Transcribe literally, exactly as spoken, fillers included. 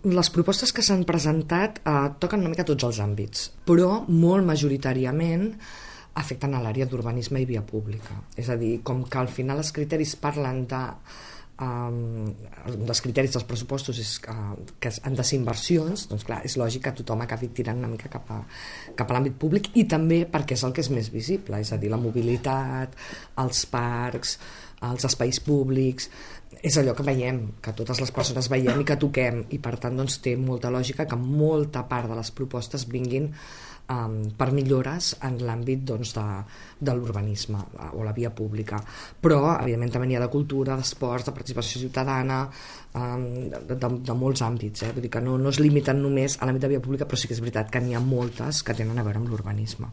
Les propostes que s'han presentat eh, toquen una mica tots els àmbits, però molt majoritàriament afecten a l'àrea d'urbanisme i via pública. És a dir, com que al final els criteris parlen de... Um, un dels criteris dels pressupostos és uh, que han de ser inversions, doncs clar, és lògic que tothom acabi tirant una mica cap a, cap a l'àmbit públic, i també perquè és el que és més visible, és a dir, la mobilitat, els parcs, els espais públics, és allò que veiem, que totes les persones veiem i que toquem, i per tant doncs, té molta lògica que molta part de les propostes vinguin um, per millores en l'àmbit doncs, de, de l'urbanisme o la via pública, però evidentment també n'hi ha de cultura, d'esports, de participació ciutadana, um, de, de, de molts àmbits, eh? Vull dir que no, no es limiten només a l'àmbit de via pública, però sí que és veritat que n'hi ha moltes que tenen a veure amb l'urbanisme.